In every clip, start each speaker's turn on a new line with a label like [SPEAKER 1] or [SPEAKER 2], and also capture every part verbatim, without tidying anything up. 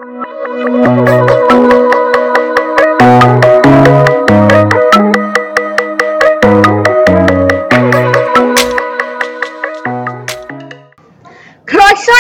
[SPEAKER 1] Croeso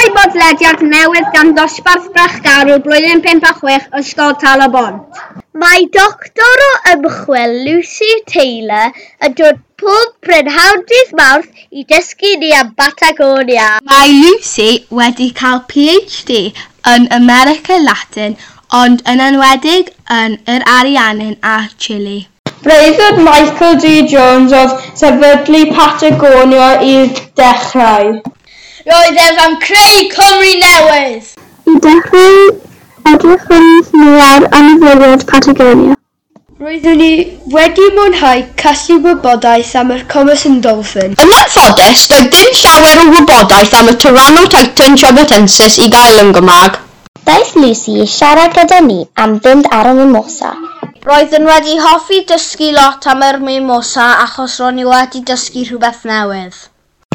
[SPEAKER 1] i bodlediad newydd gan dosbarth Brechgarw blwyddyn pump a chwech Ysgol Tal-y-bont.
[SPEAKER 2] Mae doctor o ymchwil Lucy Taylor yn dod pob prynhawn dydd Mawrth i dysgu ni am Batagonia.
[SPEAKER 3] Mae Lucy wedi cael P H D yn America Latin, ond yn enwedig yn yr Ariannin a Chile.
[SPEAKER 4] Breuddwyd Michael D. Jones oedd sefydlu Patagonia i ddechrau.
[SPEAKER 5] Roedd ef am creu Cymru newydd!
[SPEAKER 6] I ddechrau, edrychwn ni ar anifeiliaid Patagonia.
[SPEAKER 7] Roeddwn i wedi mwynhau casglu wybodaeth am yr Commerson Dolphin.
[SPEAKER 8] Yn anffodus, doedd dim llawer o wybodaeth am y Tyrannotitan chubutensis i gael yn Gymraeg.
[SPEAKER 9] Daeth Lucy i siarad gyda ni am fynd ar y Mimosa.
[SPEAKER 5] Roeddwn wedi hoffi dysgu lot am yr Mimosa achos ro'n i wedi dysgu rhywbeth newydd.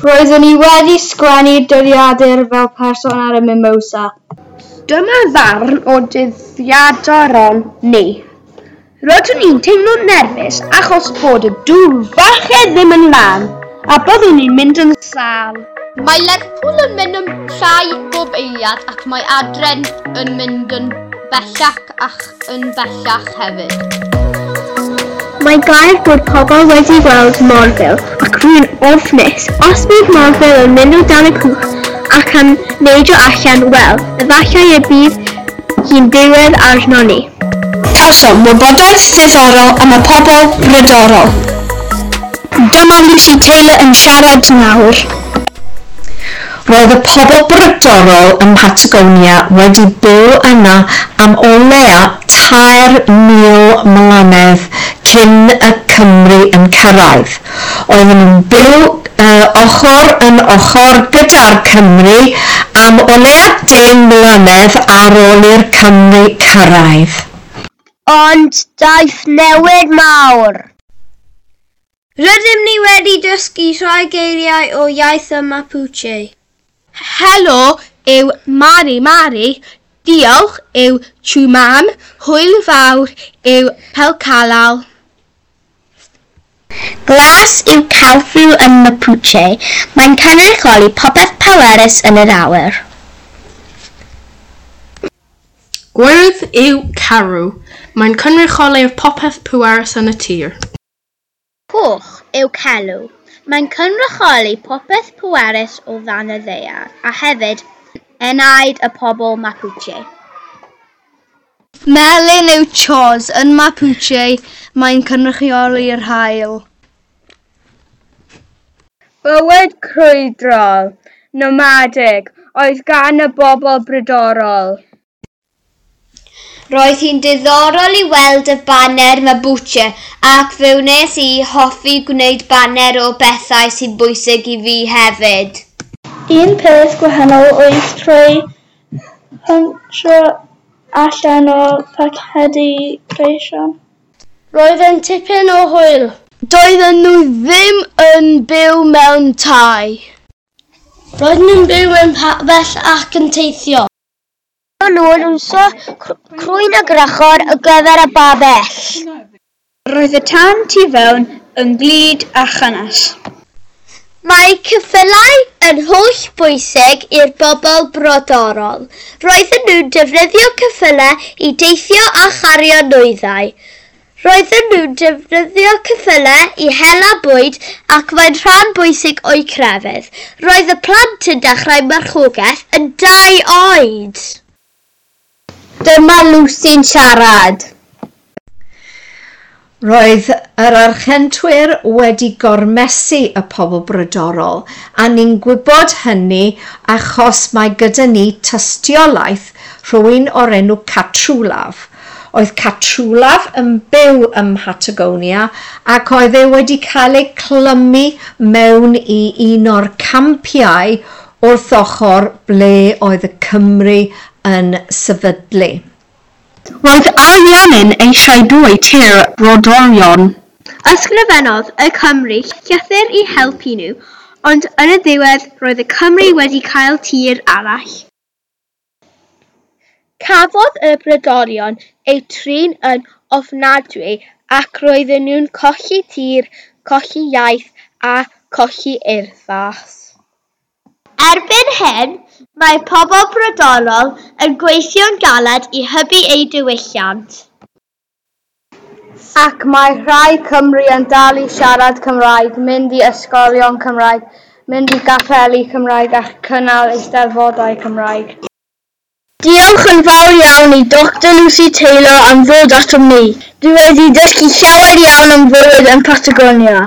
[SPEAKER 4] Roeddwn i wedi sgwennu dyddiadur fel person ar y Mimosa.
[SPEAKER 1] Dyma ddarn o dyddiaduron ni. Rydyn ni'n teimlo'n nerfus achos bod y dŵr falle ddim yn lan a byddwn ni'n mynd yn sâl.
[SPEAKER 5] Mae Lerpwl yn mynd yn llai bob eiliad ac mae Adren yn mynd yn bellach ac yn bellach hefyd.
[SPEAKER 6] Mae gair bod pobl wedi gweld morfil ac rwy'n ofnus. Os bydd morfil yn mynd o dan y cwch ac yn neidio allan, wel, efallai y bydd hi'n diwedd arno ni.
[SPEAKER 8] Cawsom wybodaeth ddiddorol am y pobl brodorol. Dyma Lucy Taylor yn siarad nawr. Roedd y pobl brodorol ym Mhatagonia wedi byw yna am o leia tair mil mlynedd cyn y Cymry yn cyrraedd. Oedden nhw'n byw uh, ochr yn ochr gyda'r Cymry am o leia deng mlynedd ar ôl i'r Cymry cyrraedd.
[SPEAKER 2] Ond daeth newid mawr.
[SPEAKER 7] Rydym ni wedi dysgu rhai geiriau o iaith y Mapuche.
[SPEAKER 3] Helo yw Mari Mari, diolch yw Chumam, hwyl fawr yw Pelcalal.
[SPEAKER 9] Glas yw Kalfu yn Mapuche. Mae'n cynrychioli popeth pwerus yn yr awyr.
[SPEAKER 10] Gwyrdd yw Carw. Mae'n cynrychioli'r popeth pwerus yn y tir.
[SPEAKER 2] Coch yw Celw. Mae'n cynrychioli popeth pwerus o ddan y ddaear, a hefyd enaid y pobl Mapuche.
[SPEAKER 3] Melyn yw Chos. Yn Mapuche, mae'n cynrychioli'r haul.
[SPEAKER 4] Bywyd crwydrol, nomadig, oedd gan y bobl brodorol.
[SPEAKER 5] Roedd hi'n diddorol i weld y baner Mapuche ac fe wnes i hoffi gwneud baner o bethau sy'n bwysig i fi hefyd.
[SPEAKER 6] Un peth gwahanol oedd trwy huntio allan o pacedi creision.
[SPEAKER 7] Roedd yn tipyn o hwyl. Doedden nhw ddim yn byw mewn tai. Roedden nhw'n byw mewn pabell ac yn teithio.
[SPEAKER 2] Roedden nhw'n iwsio crwyn y gwrachod ar gyfer y babell.
[SPEAKER 4] Roedd y tân tu fewn yn glud a chynnes.
[SPEAKER 2] Mae ceffylau yn holl bwysig i'r bobl brodorol. Roedden nhw'n defnyddio ceffylau i deithio a chario nwyddau. Roedden nhw'n defnyddio ceffylau i hela bwyd ac mae'n rhan bwysig o'u crefydd. Roedd y plant yn dechrau marchogaeth yn dau oed.
[SPEAKER 9] Dyma Lucy'n siarad.
[SPEAKER 8] Roedd yr Archentwyr wedi gormesu y pobl brodorol, a ni'n gwybod hynny achos mae gyda ni tystiolaeth rhywun o'r enw Catrwlaf. Oedd Catrwlaf yn byw ym Mhatagonia ac oedd e wedi cael ei clymu mewn i un o'r campiau wrth ochr ble oedd y Cymry yn sefydlu.
[SPEAKER 1] Roedd Ariannin eisiau dwy tir brodorion.
[SPEAKER 6] Ysgrifennodd y Cymry llythyr i helpu nhw, ond yn y diwedd roedd y Cymry wedi cael tir arall.
[SPEAKER 3] Cafodd y brodorion eu trin yn ofnadwy ac roedden nhw'n colli tir, colli iaith a colli urddas.
[SPEAKER 2] Erbyn hyn, mae pobl brodorol yn gweithio'n galed i hybu eu diwylliant.
[SPEAKER 4] Ac mae rhai Cymry yn dal i siarad Cymraeg, mynd i ysgolion Cymraeg, mynd i gapeli Cymraeg a cynnal eisteddfodau Cymraeg.
[SPEAKER 7] Diolch yn fawr iawn i Doctor Lucy Taylor am ddod atom ni. Dwi wedi dysgu llawer iawn am fywyd yn Patagonia.